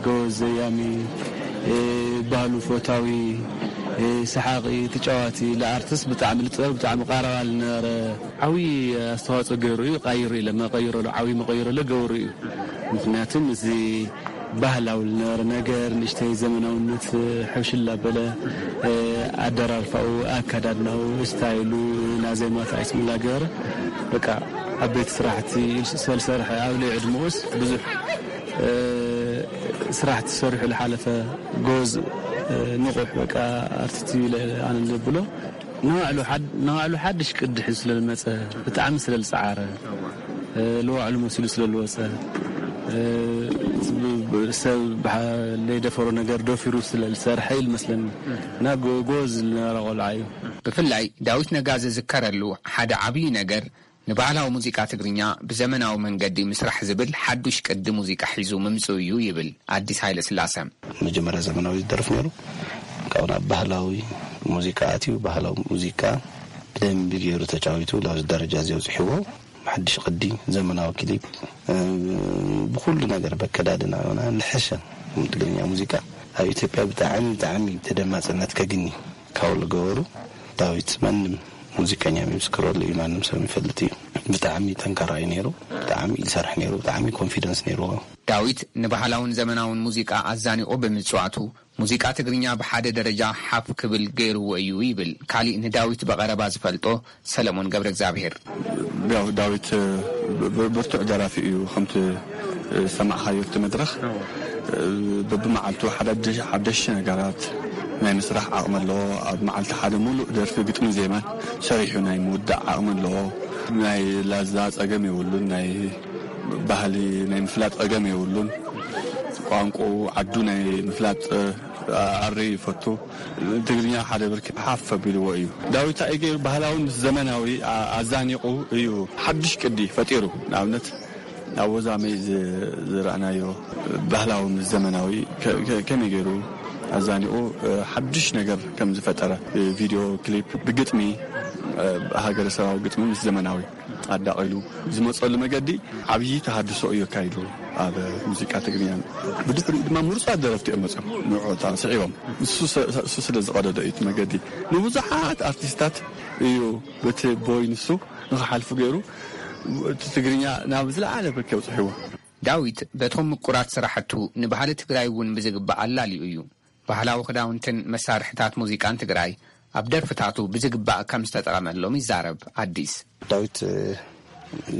ጎበዝ ዘያሚ፣ እ፣ ባህሉ ፈታዊ፣ እ፣ ሰሓቒ፣ ተጫዋቲ፣ ለኣርቲስት ብጣዕሚ ልጥበብ ብጣዕሚ ቃረባ ልነበረ። ዓብዪ ኣስተዋፅኦ ገይሩ እዩ። ቃይሩ ኢለ መቐይሮ ሎ፣ ዓብዪ መቐይሮ ሎ ገብሩ እዩ። ምኽንያቱም እዚ ባህላዊ ልነበረ ነገር ንእሽተይ ዘመናውነት ሕውሽል ኣበለ፣ እ፣ ኣደራርፋኡ፣ ኣከዳድናኡ፣ ስታይሉ፣ ናዜማት ኣይስሙላ ገበረ። በቃ ዓበይቲ ስራሕቲ ስለ ዝሰርሐ ኣብ ልዕሊ ዕድመኡስ ብዙሕ፣ እ፣ ስራሕቲ ሰሪሑ ዝሓለፈ ጎዝ፣ እ፣ ንቑሕ በቃ ኣርቲስት እዩ ኢለ ኣነ ዘብሎ። ንባዕሉ ሓድ-፣ ንባዕሉ ሓድሽ ቅዲ ሒዙ ስለ ዝመጸ ብጣዕሚ ስለ ዝጸዓረ፣ እ፣ ንባዕሉ መሲሉ ስለ ዝወጸ፣ እ፣ ብ-፣ ብ-፣ ሰብ ብሓ-፣ ዘይደፈሮ ነገር ደፊሩ ስለ ዝሰርሐ ኢሉ መስለኒ። እና ጎ-፣ ጎበዝ ዝነበረ ቆልዓ እዩ። ብፍላይ ዳዊት ነጋ ዝዝከረሉ ሓደ ዓብዪ ነገር ንባህላዊ ሙዚቃ ትግርኛ ብዘመናዊ መንገዲ ምስራሕ ዝብል ሓዱሽ ቅዲ ሙዚቃ ሒዙ ምምጽኡ እዩ ይብል ኣዲስ ሃይለ ስላሰ። መጀመርያ ዘመናዊ ዝደርፍ ነይሩ። ካብኡ ናብ ባህላዊ ሙዚቃ ኣትዩ፣ ባህላዊ ሙዚቃ ብደንቢ ገይሩ ተጫዊቱ ላብዚ ደረጃ እዚ ኣብፅሕዎ። ሓድሽ ቅዲ፣ ዘመናዊ ክሊፕ፣ እ፣ ብኩሉ ነገር በከዳድና ሆና ንሐሸ ትግርኛ ሙዚቃ ኣብ ኢትዮጵያ ብጣዕሚ፣ ብጣዕሚ ተደማፅነት ከግኒ ካብ ዝገበሩ ዳዊት ማንም ሙዚቀኛ ይምስክረሉ እዩ፣ ማንም ሰብ ይፈልጥ እዩ። ብጣዕሚ ጠንካራ እዩ ነይሩ፣ ብጣዕሚ ይሰርሕ ነይሩ፣ ብጣዕሚ ኮንፊደንስ ነይርዎ። ዳዊት ንባህላውን ዘመናውን ሙዚቃ ኣዛኒቑ ብምጽዋቱ፣ ሙዚቃ ትግርኛ ብሓደ ደረጃ ሓፍ ክብል ገይርዎ እዩ ይብል ካሊእ ንዳዊት ብቐረባ ዝፈልጦ ሰለሞን ገብረ እግዚኣብሔር። ያው ዳዊት፣ ብ-፣ ብርቱዕ ደራፊ እዩ። ከምቲ ዝሰማዕኻዮ እቲ መድረኽ፣ በብመዓልቱ ሓዳድሽ-፣ ሓደሽቲ ነገራት ናይ ምስራሕ ዓቕሚ ኣለዎ። ኣብ መዓልቲ ሓደ ሙሉእ ደርፊ ግጥሚ ዜማን ሰሪሑ ናይ ምውዳእ ዓቕሚ ኣለዎ። ናይ ላዛ ጸገም የብሉን። ናይ ባህሊ ናይ ምፍላጥ ጸገም የብሉን። ቋንቋኡ ዓዱ ናይ ምፍላጥ ኣሪ ይፈቱ። ትግርኛ ሓደ ብርኪ ሓፍ ኣቢልዎ እዩ። ዳዊት እንታይ ገይሩ? ባህላዊ ምስ ዘመናዊ ኣ-፣ ኣዛኒቑ እዩ ሓድሽ ቅዲ ፈጢሩ። ንኣብነት ኣብ ወዛመይ ዝ-፣ ዝረኣናዮ ባህላዊ ምስ ዘመናዊ ከ-፣ ከ-፣ ከመይ ገይሩ ኣዛኒቑ፣ እ፣ ሓድሽ ነገር ከም ዝፈጠረ፣ እ፣ ቪድዮ ክሊፕ ብግጥሚ፣ እ፣ ሃገረሰባዊ ግጥሚ ምስ ዘመናዊ ኣዳቒሉ ዝመፀሉ መገዲ ዓብዪ ተሃድሶ እዩ ኣካይዱ ኣብ ሙዚቃ ትግርኛ። ብድሕሪኡ ድማ ምሩፃት ደረፍቲ እዮም መፅኦም ንዕኦታ ስዒቦም። ንሱ ሰ-፣ እሱ ስለ ዝቐደዶ እዩ እቲ መገዲ። ንብዙሓት ኣርቲስታት እዩ በቲ ቦይ ንሱ ንኽሓልፉ ገይሩ እቲ ትግርኛ ናብ ዝለዓለ ብርኪ ኣብፅሕዎ። ዳዊት በቶም ምቁራት ስራሕቱ ንባህሊ ትግራይ እውን ብዝግባእ ኣላልዩ እዩ። ባህላዊ ክዳውንትን መሳርሕታት ሙዚቃን ትግራይ ኣብ ደርፍታቱ ብዝግባእ ከም ዝተጠቐመሎም ይዛረብ ኣዲስ። ዳዊት፣ እ፣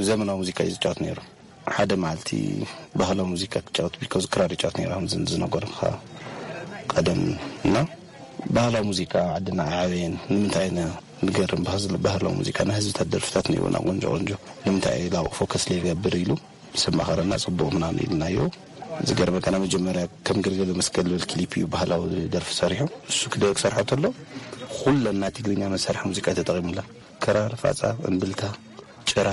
ዘመናዊ ሙዚቃ እዩ ዝጫወት ነይሩ። ሓደ መዓልቲ ባህላዊ ሙዚቃ ክጫወት ቢልኮዝ ክራር ይጫወት ነይሩ፣ ከም ዝን-፣ ዝነገርካ ቀደም። እና ባህላዊ ሙዚቃ ዓድና ኣዕበየን። ንምንታይ ኢና ንገርም ባህዝ-፣ ባህላዊ ሙዚቃ፣ ናይ ህዝብታት ደርፍታት ነይሩና፣ ቆንጆ ቆንጆ። ንምንታይ ላው ፎከስ ለይገብር ኢሉ ምስ ኣማኸረና፣ ጽቡቕ ምናምን ኢልናዮ። ዝገርመካ፣ ናይ መጀመርያ ከም ገልገለ መስቀል ዝብል ክሊፕ እዩ ባህላዊ ደርፊ ሰሪሑ። እሱ ክደ-፣ ክሰርሖ ተሎ፣ ኩለን ናይ ትግርኛ መሳርሒ ሙዚቃ ተጠቒሙላ። ክራር፣ ፋጻ፣ እምብልታ፣ ጭራ፣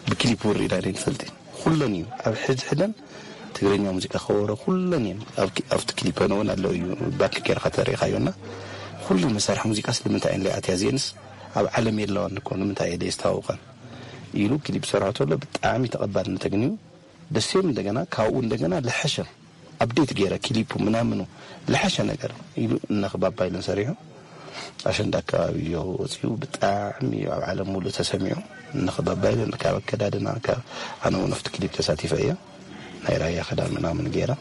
ብክሊፕ ውርኢና ኢና ንፈልጥ። ኩለን እዩ። ኣብ ሕድ ሕደን ትግርኛ ሙዚቃ ከበሮ ኩለን እየን። ኣብ ክ-፣ ኣብቲ ክሊፕ እውን ኣሎ እዩ። ባክ ጌርካ ተሪኢኻዮና። ኩሉ መሳርሒ ሙዚቃ ስለምንታይ እየን ለይኣትያ? እዚአንስ ኣብ ዓለም የለዋን እኮ፣ ንምንታይ እየ ለየስተዋውቐን? ኢሉ ክሊፕ ሰርሖ ተሎ ብጣዕሚ ተቐባልነት ኣግንዩ። ደሴም እንደገና ካብኡ እንደገና ለሐሸ ኣፕዴት ገይረ ክሊፑ ምናምኑ ለሐሸ ነገር ኢሉ እነኽባባ ኢለን ሰሪሑ። ኣሸንዳ ኣካባቢ እዮ ወፂኡ ብጣዕሚ ኣብ ዓለም ሙሉእ ተሰሚዑ። እነኽባባ ኢለን ካብ ኣከዳድና ካብ ኣነ እውን ኣብቲ ክሊፕ ተሳቲፈ እየ። ናይ ራያ ክዳን ምናምን ገይረ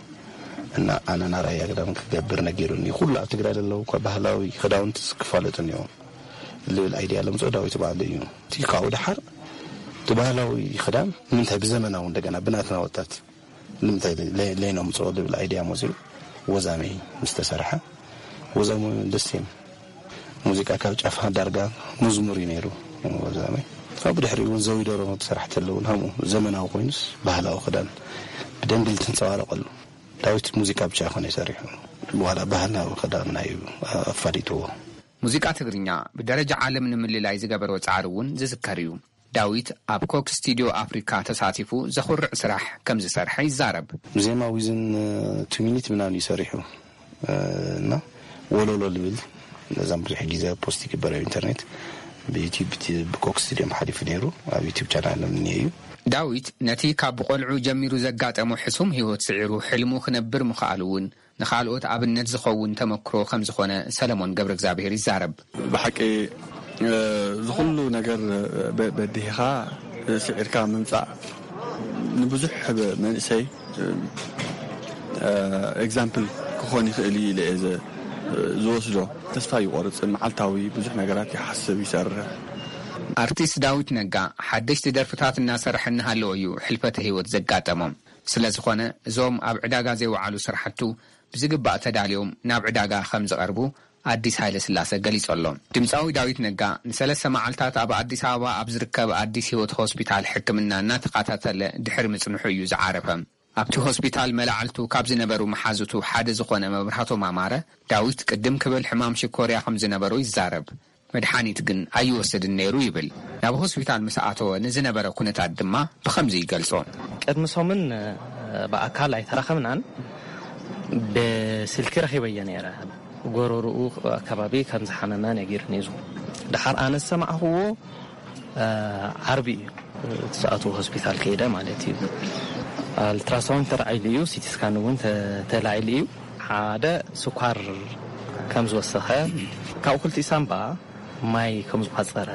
እና ኣነ ናይ ራያ ክዳን ክገብር ነጊሩኒ። ኩሉ ኣብ ትግራይ ዘለዉ እኳ ባህላዊ ክዳውንቲ ክፋለጡ እኒኦም ልብል ኣይድያ ለምፅኦ ዳዊት ባዕሉ እዩ። እቲ ካብኡ ደሓር እቲ ባህላዊ ክዳን ንምንታይ ብዘመናዊ እንደገና ብናትና ወጣት ንምንታይ ለይ-፣ ለይነምፅኦ ልብል ኣይድያ መፅኡ ወዛመይ ምስ ተሰርሐ ወዛመ ደስ እዮም። ሙዚቃ ካብ ጫፍ ዳርጋ መዝሙር እዩ ነይሩ ወዛመይ። ካብኡ ድሕሪ እውን ዘዊደሮ ትሰራሕ ተለውን ሃምኡ ዘመናዊ ኮይኑስ ባህላዊ ክዳን ብደንቢ ልትንፀባረቐሉ። ዳዊት ሙዚቃ ብቻ ይኾነ ይሰሪሑ። ዋላ ባህላዊ ክዳን ናይ ኣፋሊጥዎ። ሙዚቃ ትግርኛ ብደረጃ ዓለም ንምልላይ ዝገበሮ ጻዕሪ እውን ዝዝከር እዩ። ዳዊት ኣብ ኮክ ስቱዲዮ ኣፍሪካ ተሳቲፉ ዘኹርዕ ስራሕ ከም ዝሰርሐ ይዛረብ። ዜማ ዊዝን ቱ ሚኒት ምናምን እዩ ሰሪሑ፣ እ፣ እና ወለሎ ልብል ነዛም ብዙሕ ግዜ ፖስት ይግበር ኣብ ኢንተርኔት። ብዩቲዩብ እቲ ብኮክ ስቱዲዮም ሓሊፉ ነይሩ፣ ኣብ ዩቲዩብ ቻናል እምኒ እዩ። ዳዊት ነቲ ካብ ብቆልዑ ጀሚሩ ዘጋጠሞ ሕሱም ህይወት ስዒሩ ሕልሙ ክነብር ምኽኣሉ እውን ንኻልኦት ኣብነት ዝኸውን ተመክሮ ከም ዝኾነ ሰለሞን ገብረ እግዚኣብሔር ይዛረብ። ብሓቂ፣ እ፣ ዝኹሉ ነገር በ-፣ በዲህኻ ስዒርካ ምምጻእ ንብዙሕ መንእሰይ፣ እ፣ ኤግዛምፕል ክኾን ይኽእል እዩ ኢለ እየ ዘ-፣ ዝወስዶ። ተስፋ ይቆርጽ፣ መዓልታዊ ብዙሕ ነገራት ይሓስብ፣ ይሰርሕ። ኣርቲስት ዳዊት ነጋ ሓደሽቲ ደርፍታት እናሰርሐ እናሃለወ እዩ ሕልፈተ ህይወት ዘጋጠሞም። ስለ ዝኾነ እዞም ኣብ ዕዳጋ ዘይወዓሉ ስራሕቱ ብዝግባእ ተዳልዮም ናብ ዕዳጋ ከም ዝቐርቡ ኣዲስ ሃይለ ስላሰ ገሊጹ ኣሎ። ድምፃዊ ዳዊት ነጋ ንሰለስተ መዓልታት ኣብ ኣዲስ ኣበባ ኣብ ዝርከብ ኣዲስ ህይወት ሆስፒታል ሕክምና እናተኸታተለ ድሕሪ ምጽንሑ እዩ ዝዓረፈ። ኣብቲ ሆስፒታል መላዕልቱ ካብ ዝነበሩ መሓዙቱ ሓደ ዝኾነ መብራህቶም ኣማረ፣ ዳዊት ቅድም ክብል ሕማም ሽኮርያ ከም ዝነበሮ ይዛረብ። መድሓኒት ግን ኣይወስድን ነይሩ ይብል። ናብ ሆስፒታል ምስ ኣተወ ንዝነበረ ኩነታት ድማ ብኸምዚ ይገልጾ። ቅድሚ ሰሙን፣ እ፣ ብኣካል ኣይተራኸብናን፣ ብስልኪ ረኺበዮ ነይረ። ጎረርኡ ኣከባቢ ከም ዝሓመመ ነጊሩኒ እዩ። ደሓር ኣነ ዝሰማዕኽዎ፣ እ፣ ዓርቢ እዩ እቲ ሰዓቱ ሆስፒታል ከይደ ማለት እዩ። ኣልትራሳውንድ ተራዒሉ እዩ፣ ሲቲ ስካን እውን ተ-፣ ተላዒሉ እዩ። ሓደ ስኳር ከም ዝወሰኸ፣ ካብኡ ክልቲኡ ሳምባ ማይ ከም ዝቋጸረ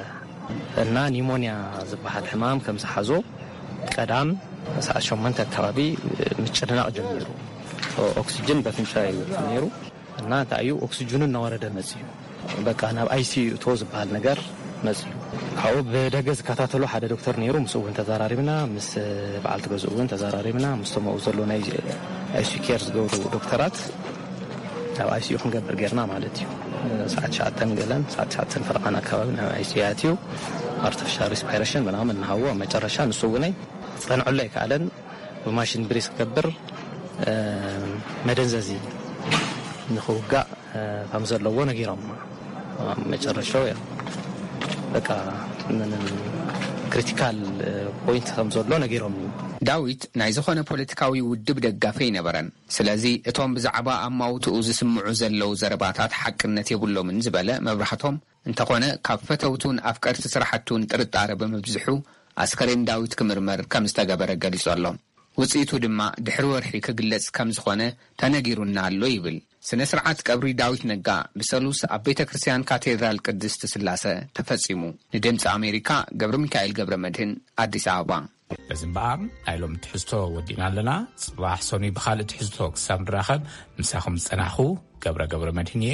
እና ኒሞንያ ዝበሃል ሕማም ከም ዝሓዞ ቀዳም ሰዓት ሸሞንተ ኣካባቢ ምጭንናቕ ጀሚሩ። ኦ-፣ ኦክሲጅን በፍንጫ እዩ ነይሩ እና እንታይ እዩ ኦክሲጅኑ እናወረደ መጽዩ። በቃ ናብ ኣይሲዩ እቶ ዝበሃል ነገር መጽዩ። ካብኡ ብደገ ዝከታተሎ ሓደ ዶክተር ነይሩ፣ ምስኡ እውን ተዘራሪብና፣ ምስ በዓልቲ ገዝኡ እውን ተዘራሪብና፣ ምስቶም ኣብኡ ዘሎ ናይ ኣይሲዩ ኬር ዝገብሩ ዶክተራት ናብ ኣይሲዩ ክንገብር ጌርና ማለት እዩ። ሰዓት ትሽዓተን ገለን፣ ሰዓት ትሽዓተን ፈረቓን ኣካባቢ ናብ ኣይሲዩ ኣትዩ፣ ኣርቲፊሻል ሪስፓይሬሽን ምናምን እናሃዎ፣ ኣብ መጨረሻ ንሱ እውነይ ክጸንዐሉ ኣይከኣለን። ብማሽን ብሬስ ክገብር፣ እ፣ መደንዘዚ ንኽውጋእ፣ እ፣ ከም ዘለዎ ነጊሮም። ኣብ መጨረሻው ያ፣ በቃ፣ ምንም ክሪቲካል፣ እ፣ ፖይንት ከም ዘሎ ነጊሮም። ዳዊት ናይ ዝኾነ ፖለቲካዊ ውድብ ደጋፊ ኣይነበረን። ስለዚ እቶም ብዛዕባ ኣማውትኡ ዝስምዑ ዘለዉ ዘረባታት ሓቅነት የብሎምን ዝበለ መብራህቶም፣ እንተኾነ ካብ ፈተውቱን ኣፍቀርቲ ስራሕቱን ጥርጣረ ብምብዝሑ ኣስከሬን ዳዊት ክምርመር ከም ዝተገበረ ገሊጹ ኣሎ። ውጽኢቱ ድማ ድሕሪ ወርሒ ክግለጽ ከም ዝኾነ ተነጊሩና ኣሎ ይብል። ስነ ስርዓት ቀብሪ ዳዊት ነጋ ብሰሉስ ኣብ ቤተ ክርስቲያን ካቴድራል ቅድስት ስላሰ ተፈጺሙ። ንድምፂ ኣሜሪካ ገብረ ሚካኤል ገብረ መድህን ኣዲስ ኣበባ። በዚ እምበኣር ናይ ሎሚ ትሕዝቶ ወዲእና ኣለና። ጽባሕ ሰኑይ ብኻልእ ትሕዝቶ ክሳብ ንራኸብ ምሳኹም ዝጸናሕኹ ገብረ ገብረ መድህን እየ።